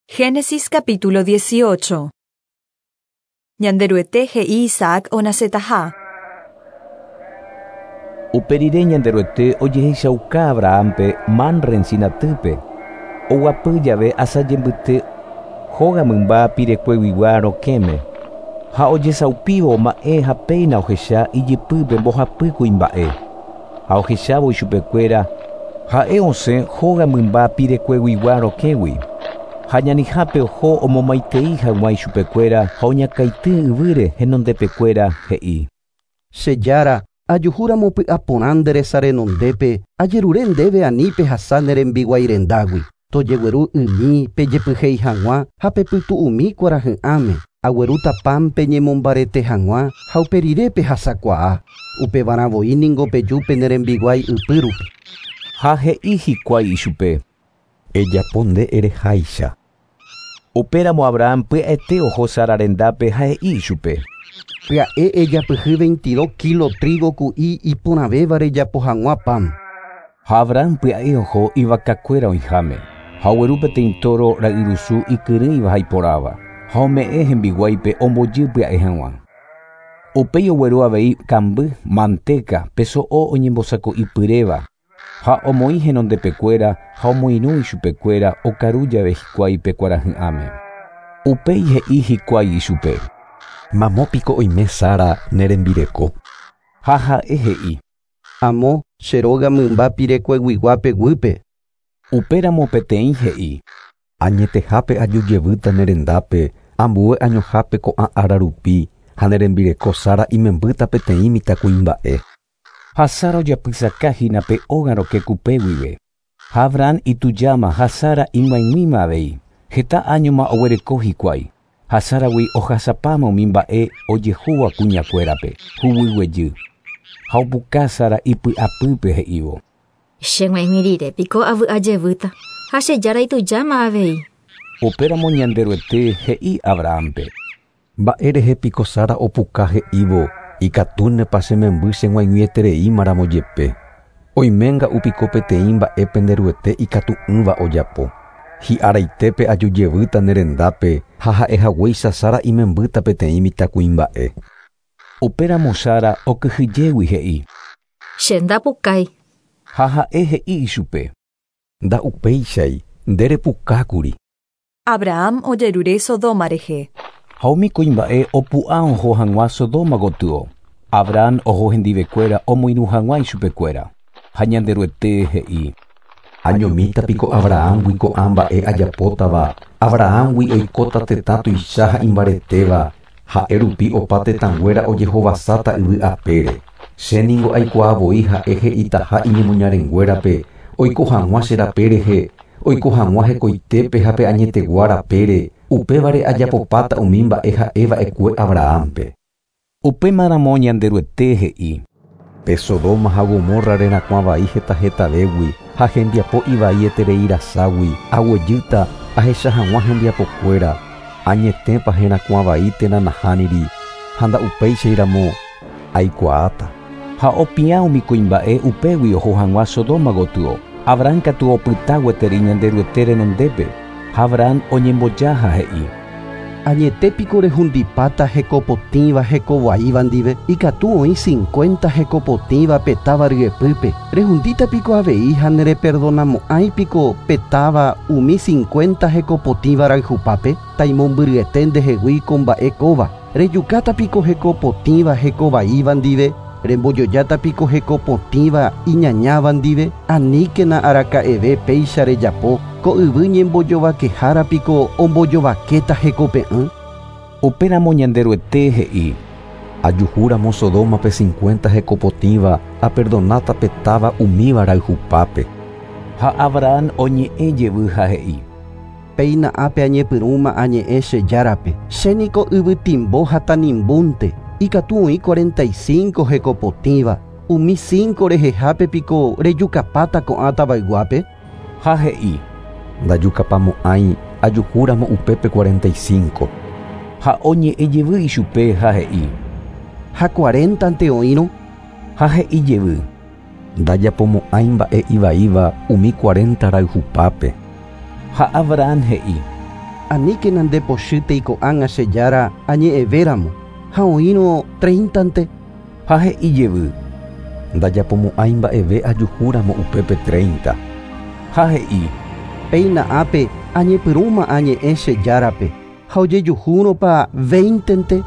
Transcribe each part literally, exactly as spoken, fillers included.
Génesis capítulo dieciocho. Ñanderuete he'i Isaac onacetaha. Uperire Ñanderuete ojehechauka Abrahampe Mamre encinatype. Oguapy jave asajembyte hóga mymba pirekueguigua rokẽme. Ha ojesaupívo ma'ẽ ha péina ohecha ijypýpe mbohapy kuimba'e. Ha ohechávo ichupekuéra ha'e osẽ hóga mymba pirekueguigua rokẽgui. Ha ñanihápe oho omomaitei hag̃ua ichupekuéra ha oñakãity yvýre henondepekuéra he'i. Che Jára, ajuhúramo py'aporã nde resa renondépe, ajerure ndéve ani pehasa ne rembiguái rendágui. Tojegueru ymi pejepyhéi hag̃ua ha pepytu'umi kuarahy'ãme. Aguerúta pan peñemombarete hag̃ua ha uperire pehasakuaa. Upevarã ningo peju pene rembiguái ypýrupi. Ha he'i hikuái ichupe. Ejapo nde ereháicha. Upéramo Abraham pya'ete oho Sara rendápe ha he'i ichupe. Pya'e ejapyhy veintidós kilo trigo ku'i iporãvéva rejapo hag̃ua pan. Ha Abraham pya'e oho ivakakuéra oĩháme. Ha ogueru peteĩ toro ra'yrusu ikyrỹiva ha iporãva. Ha ome'ẽ hembiguáipe ombojy pya'e hag̃ua. Upéi ogueru avei kamby, manteca, pe so'o oñembosako'ipyréva. Ha omoĩ henondepekuéra ha omoirũ ichupekuéra okaru jave hikuái pe kuarahy'ãme. Upéi he'i hikuái ichupe. Mamópiko oime Sara ne rembireko. Ha ha'e he'i. Amo che róga mymba pirekueguiguápe guýpe. Upéramo peteĩ he'i. Añetehápe ajujevýta ne rendápe, ambue añohápe ko'ã ára rupi, ha ne rembireko Sara imembýta peteĩ mitãkuimba'e. Ha Sara ojapysakahína pe óga rokẽ kupe guive. Ha Abraham itujáma ha Sara ig̃uaig̃uíma avei. Heta añoma oguereko hikuái. Ha Saragui ohasapáma umi mba'e ojehúva kuñakuérape, huguyguejy. Ha opuka Sara ipy'apýpe he'ívo. Che g̃uaig̃ui rire piko avy'ajevýta ha che Jára itujáma avei. Upéramo Ñanderuete he'i Abrahampe. Mba'érehe piko Sara opuka he'ívo ikatúnepa che memby che g̃uaig̃uietereímaramo jepe. Oiménga'u piko peteĩ mba'e penderuete ikatu'ỹva ojapo. Hi'araitépe ajujevýta ne rendápe ha ha'ehaguéicha Sara imembýta peteĩ mitãkuimba'e. Upéramo Sara okyhyjégui he'i. Che ndapukái. Ha ha'e he'i ichupe. Nda'upéichai nderepukákuri. Abraham ojerure Sodoma rehe. Ha umi kuimba'e opu'ã oho hag̃ua Sodoma gotyo. Abraham oho hendivekuéra omoirũ hag̃ua ichupekuéra. Ha Ñanderuete he'i. Añomíta piko Abrahamgui ko'ã mba'e ajapótava. Abrahamgui oikóta tetã tuicha ha imbaretéva. Ha'e rupi opa tetãnguéra ojehovasáta yvy apére. Che ningo aikuaavoi ha'e he'itaha iñemoñarenguérape oiko hag̃ua che rape rehe, oiko hag̃ua hekoitépe ha pe añetegua rapére. Upévare ajapopáta umi mba'e ha'eva'ekue Abrahampe. Upémaramo Ñanderuete he'i. Pe Sodoma ha Gomorra rerakuã vai heta hetavégui ha hembiapo ivaieterei raságui aguejýta ahecha hag̃ua hembiapokuéra. Añetépa herakuã vai térã nahániri ha nda'upéichairamo aikuaáta. Ha opiã umi kuimba'e upégui oho hag̃ua Sodoma gotyo. Abraham katu opyta gueteri Ñanderuete renondépe. Ha Abraham oñemboja ha he'i. Añetépiko rehundipáta hekopotĩva hekovaíva ndive, ikatu oĩ cincuenta hekopotĩva pe táva ryepýpe. Rehundíta piko avei ha nereperdonamo'ãi piko pe táva umi cincuenta hekopotĩva rayhupápe, taimombyryete ndehegui ko mba'e kóva. Rejukáta piko hekopotĩva hekovaíva ndive, rembojojáta piko hekopotĩva iñañáva ndive, aníkena araka'eve péicha rejapo. Ko yvy ñembojovakehára piko ombojovakéta hekope'ỹ. Upéramo Ñanderuete he'i. Ajuhúramo Sodomape cincuenta hekopotĩva aperdonáta pe táva umíva rayhupápe. Ha Abraham oñe'ẽ jevy ha he'i. Péina ápe añepyrũma añe'ẽ che Járape. Che niko yvytimbo ha tanimbúnte. Ikatu oĩ cuarenta y cinco hekopotĩva. Umi cinco rehehápe piko rejukapáta ko'ã tavayguápe. Ha he'i. Ndajukapamo'ãi ajuhúramo upépe cuarenta y cinco. Ha oñe'ẽ jevy ichupe ha he'i. Ha cuarentante oĩrõ. Ha he'i jevy. Ndajapomo'ãi mba'e ivaíva umi cuarenta rayhupápe. Ha Abraham he'i. Aníkena ndepochýtei ko'ág̃a che Jára añe'ẽvéramo ha oĩrõ treintante. Ha he'i jevy: Ndajapomo'ãi mba'eve ajuhúramo upépe treinta. Ha he'i: Péina ápe añepyrũma añe'ẽ che Járape ha ojejuhúrõpa veintente.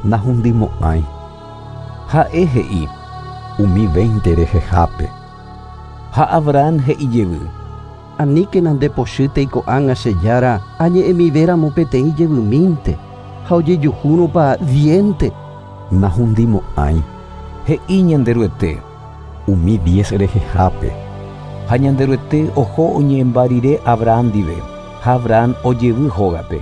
Nahundimo'ãi. Ha'e he'i: Umi veinte rehehápe. Ha Abraham he'i jevy: Aníkena ndepochýtei ko'ág̃a che Jára añe'ẽmivéramo peteĩ jevymínte ha ojejuhúrõpa diente. Nahundimo'ãi. He'i Ñanderuete: Umi diez rehehápe. Ha Ñanderuete oho oñe'ẽmba rire Abraham ndive, ha Abraham ojevy hógape.